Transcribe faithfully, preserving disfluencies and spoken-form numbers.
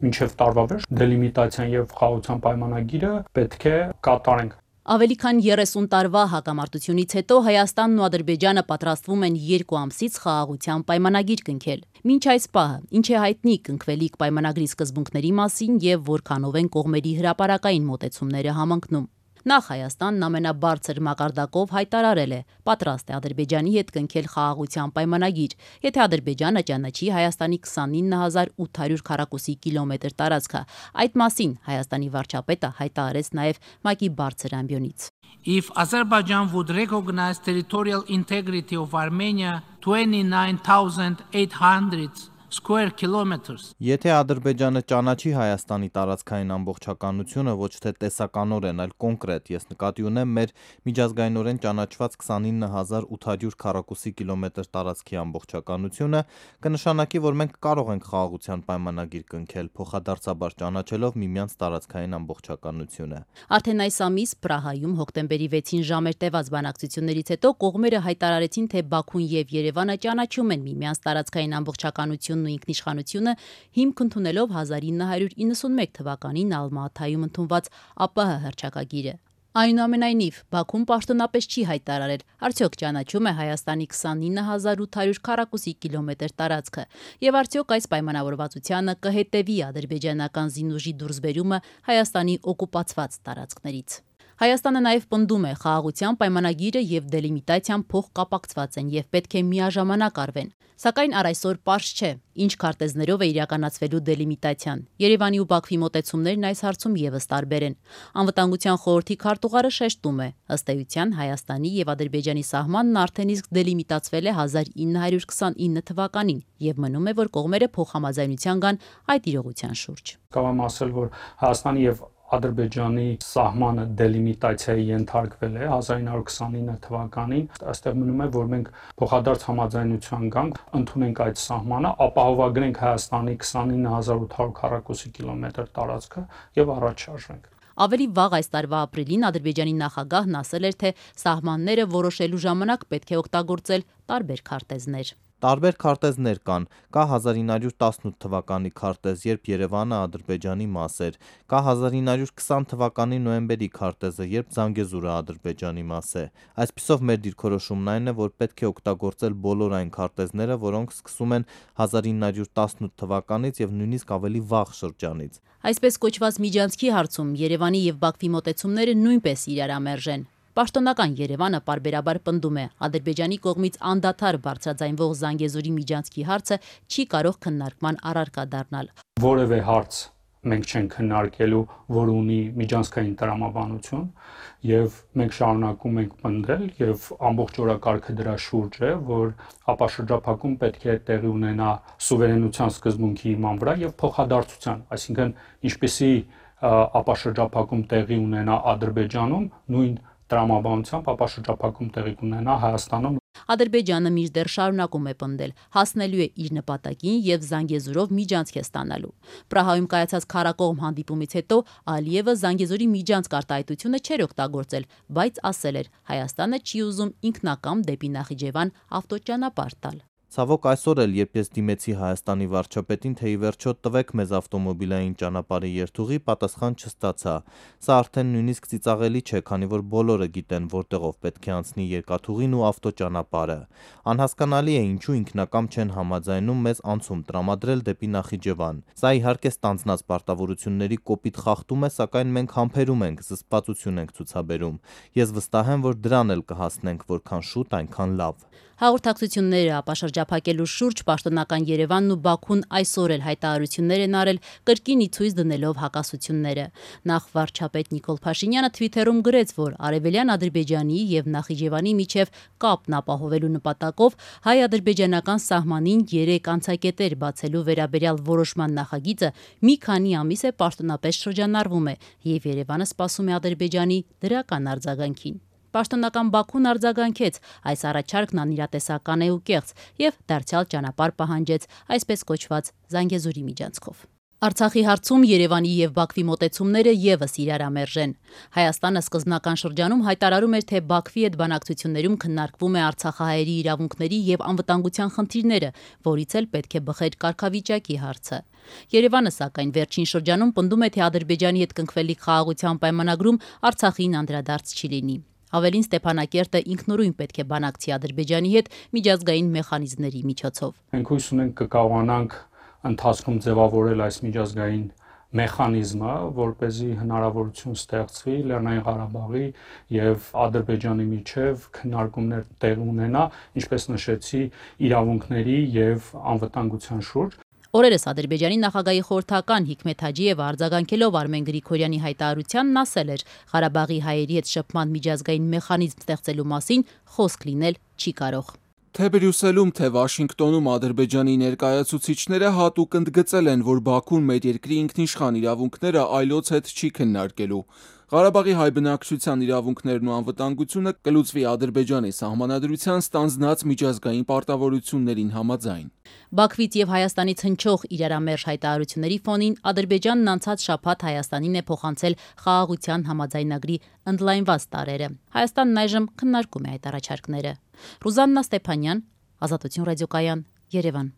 մինչև տարվա վերջ դելիմիտացիան եւ խաղաղության պայմանագիրը պետք է կատարենք։ Ավելի քան երեսուն տարվա հակամարտությունից հետո Հայաստանն ու Ադրբեջանը պատրաստվում են երկու ամսից խաղաղության պայմանագիր կնքել։ Մինչ այս պահը ինչ է հայտնի կնքվելիք պայմանագրի սկզբունքների մասին եւ որքանով են կողմերի հրապարակային մոտեցումները համընկնում։ Նախ Հայաստանն ամենաբարձր մակարդակով հայտարարել է պատրաստ է Ադրբեջանի հետ կնքել խաղաղության պայմանագիր, եթե Ադրբեջանը ճանաչի Հայաստանի քսանինը հազար ութ հարյուր քառակուսի կիլոմետր տարածքը։ Այդ մասին Հայաստանի վարչապետը հայտարարեց նաև ՄԱԿ-ի բարձր ամբիոնից։ If Azerbaijan would recognize territorial integrity of Armenia twenty-nine thousand eight hundred square kilometers. Եթե Ադրբեջանը ճանաչի Հայաստանի տարածքային ամբողջականությունը ոչ թե տեսականորեն, այլ կոնկրետ, ես նկատի ունեմ մեր միջազգայինորեն ճանաչված քսանինը հազար ութ հարյուր քառակուսի կիլոմետր տարածքի ամբողջականությունը, կնշանակի, որ մենք կարող ենք խաղաղության պայմանագիր կնքել, փոխադարձաբար ճանաչելով միմյանց տարածքային ամբողջականությունը։ Արդեն այս ամիս Պրահայում հոկտեմբերի վեցին ժամեր տևած բանակցություններից հետո կողմերը հայտարարեցին, թե Բաքուն եւ Երևանը ճանաչում են միմյանց տարածքային ամբողջականությունը ու ինքնիշխանությունը հիմք ընդունելով հազար ինը հարյուր իննսունմեկ թվականին Ալմա-Աթայում ընդունված ԱՊՀ հռչակագիրը։ Այնուամենայնիվ, Բաքուն պաշտոնապես չի հայտարարել, արդյոք ճանաչում է Հայաստանի քսանինը հազար ութ հարյուր քառակուսի կիլոմետր տարածքը, եւ արդյոք այս պայմանավորվածությանը կհետևի ադրբեջանական զինուժի դուրսբերումը Հայաստանի օկուպացված տարածքներից։ Հայաստանը նաև պնդում է խաղաղության պայմանագիրը եւ դելիմիտացիան փոխկապակցված են եւ պետք է միաժամանակ արվեն։ Սակայն առ այսօր պարզ չէ, ինչ քարտեզներով է իրականացվելու դելիմիտացիան։ Երևանի ու Բաքվի մոտեցումներն այս հարցում եւս տարբեր են։ Անվտանգության խորհրդի քարտուղարը շեշտում է, ըստ էության Հայաստանի եւ Ադրբեջանի սահմանն արդեն իսկ դելիմիտացվել է հազար ինը հարյուր քսանինը թվականին եւ մնում է, որ կողմերը փոխհամաձայնության գան այդ իրողության շուրջ։ Կարող եմ ասել, որ Հայաստանի եւ Ադրբեջանի սահմանը դելիմիտացիայի ենթարկվել է հազար ինը հարյուր քսանինը թվականին, այստեղ մնում է, որ մենք փոխադարձ համաձայնության գանք, ընդունենք այդ սահմանը, ապահովագրենք Հայաստանի քսանինը հազար ութ հարյուր քառակուսի կիլոմետր տարածքը եւ առաջ շարժվենք։ Ավելի վաղ այս տարվա ապրիլին Ադրբեջանի նախագահն ասել էր, թե սահմանները որոշելու ժամանակ պետք է օգտագործել տարբեր քարտեզներ։ Տարբեր քարտեզներ կան, կա հազար ինը հարյուր տասնութ թվականի քարտեզ, երբ Երևանը Ադրբեջանի մաս էր, կա հազար ինը հարյուր քսան թվականի նոյեմբերի քարտեզը, երբ Զանգեզուրը Ադրբեջանի մաս է։ Այսպիսով մեր դիրքորոշումն այն է, որ պետք է օգտագործել բոլոր այն քարտեզները, որոնք սկսում են հազար ինը հարյուր տասնութ թվականից եւ նույնիսկ ավելի վաղ շրջանից։ Այսպես կոչված միջանցքի հարցում Երևանի եւ Բաքվի մոտեցումները նույնպես իրարամերժ են։ Պաշտոնական Երևանը պարբերաբար պնդում է, Ադրբեջանի կողմից անդադար բարձրաձայնվող Զանգեզուրի միջանցքի հարցը չի կարող քննարկման առարկա դառնալ։ Որևէ հարց մենք չենք քննարկելու, որ ունի միջանցքային տրամաբանություն, եւ մենք շարունակում ենք պնդել եւ ամբողջ օրակարգը դրա շուրջ է, որ ապաշրջափակում պետք է տեղի ունենա սուվերենության սկզբունքի հիման վրա եւ փոխադարձության, այսինքն ինչպեսի ապաշրջափակում տեղի ունենա Ադրբեջանում, նույն տրամաբանությամբ ապաշրջափակում տեղի կունենա Հայաստանում։ Ադրբեջանը մինչդեռ շարունակում է պնդել, հասնելու է իր նպատակին եւ Զանգեզուրով միջանցք է ստանալու։ Պրահայում կայացած քարակողմ հանդիպումից հետո Ալիևը Զանգեզուրի միջանցք արտահայտությունը չէր օգտագործել, բայց ասել էր, Հայաստանը չի ուզում ինքնակամ դեպի Նախիջևան ավտոճանապարհ տալ։ Ցավոք այսօր էլ, երբ ես դիմեցի Հայաստանի վարչապետին, թե ի վերջո տվեք մեզ ավտոմոբիլային ճանապարհի երթուղի, պատասխան չստացա։ Սա արդեն նույնիսկ ծիծաղելի չէ, քանի որ բոլորը գիտեն, որտեղով պետք է անցնի երկաթուղին ու ավտոճանապարհը։ Անհասկանալի է, ինչու ինքնակամ չեն համաձայնում մեզ անցում տրամադրել դեպի Նախիջևան։ Սա իհարկե ստանձնած պարտավորությունների կոպիտ խախտում է, սակայն մենք համբերում ենք, զսպվածություն ենք ցուցաբերում։ Ես վստահ եմ, որ դրան էլ կհասնենք, որքան շուտ, այնքան լավ։ Հաղորդակցությունները ապաշրջափակելու շուրջ պաշտոնական Երևանն ու Բաքուն այսօր էլ հայտարարություններ են արել, կրկին ի ցույց դնելով հակասությունները։ Նախ վարչապետ Նիկոլ Փաշինյանը Twitter-ում գրեց, որ արևելյան Ադրբեջանի եւ Նախիջևանի միջև կապն ապահովելու նպատակով հայ-ադրբեջանական սահմանին երեք անցակետեր բացելու վերաբերյալ որոշման նախագիծը մի քանի ամիս է պաշտոնապես շրջանառվում է եւ Երևանը սպասում է Ադրբեջանի դրական արձագանքին։ Պաշտոնական Բաքուն արձագանքեց, այս առաջարկն անիրատեսական է ու կեղծ եւ դարձյալ ճանապարհ պահանջեց, այսպես կոչված Զանգեզուրի միջանցքով։ Արցախի հարցում Երևանի եւ Բաքվի մոտեցումները եւս իրարամերժ են։ Հայաստանը սկզբնական շրջանում հայտարարում էր, թե Բաքվի հետ բանակցություններում քննարկվում է արցախահայերի իրավունքների եւ անվտանգության խնդիրները, որից էլ պետք է բխեր կարգավիճակի հարցը։ Երևանը, սակայն, վերջին շրջանում պնդում է, թե Ադրբեջանի հետ կնքվելիք խաղաղության պայմանագրում Արցախին անդրադարձ չի լինի։ Ավելին, Ստեփանակերտը ինքնուրույն պետք է բանակցի Ադրբեջանի հետ միջազգային մեխանիզմների միջոցով։ Մենք հույս ունենք կկարողանանք ընթացքում ձևավորել այս միջազգային մեխանիզմը, որպեսզի հնարավորություն ստեղծվի Լեռնային Ղարաբաղի եւ Ադրբեջանի միջև քննարկումներ տեղի ունենա, ինչպես նշեցի, իրավունքների եւ անվտանգության շուրջ։ Օրերս Ադրբեջանի նախագահի խորհրդական Հիկմեթ Հաջիևը արձագանքելով Արմեն Գրիգորյանի հայտարարությանն ասել էր, Ղարաբաղի հայերի հետ շփման միջազգային մեխանիզմ ստեղծելու մասին խոսք լինել չի կարող։ Թե Բրյուսելում, թե Վաշինգտոնում Ադրբեջանի ներկայացուցիչները հատուկ ընդգծել են, որ Բաքուն մեր երկրի ինքնիշխան իրավունքները այլոց հետ չի քննարկելու։ Ղարաբաղի հայ բնակչության իրավունքներն ու անվտանգությունը կլուծվի Ադրբեջանի սահմանադրության ստանձնած միջազգային պարտավորություններին համաձայն։ Բաքվից եւ Հայաստանից հնչող իրարամերժ հայտարարությունների ֆոնին Ադրբեջանն անցած շաբաթ Հայաստանին է փոխանցել խաղաղության համաձայնագրի ընդլայնված տարրերը։ Հայաստանն այժմ քննարկում է այդ առաջարկները։ Ռուզաննա Ստեփանյան, Ազատություն ռադիոկայան, Երևան։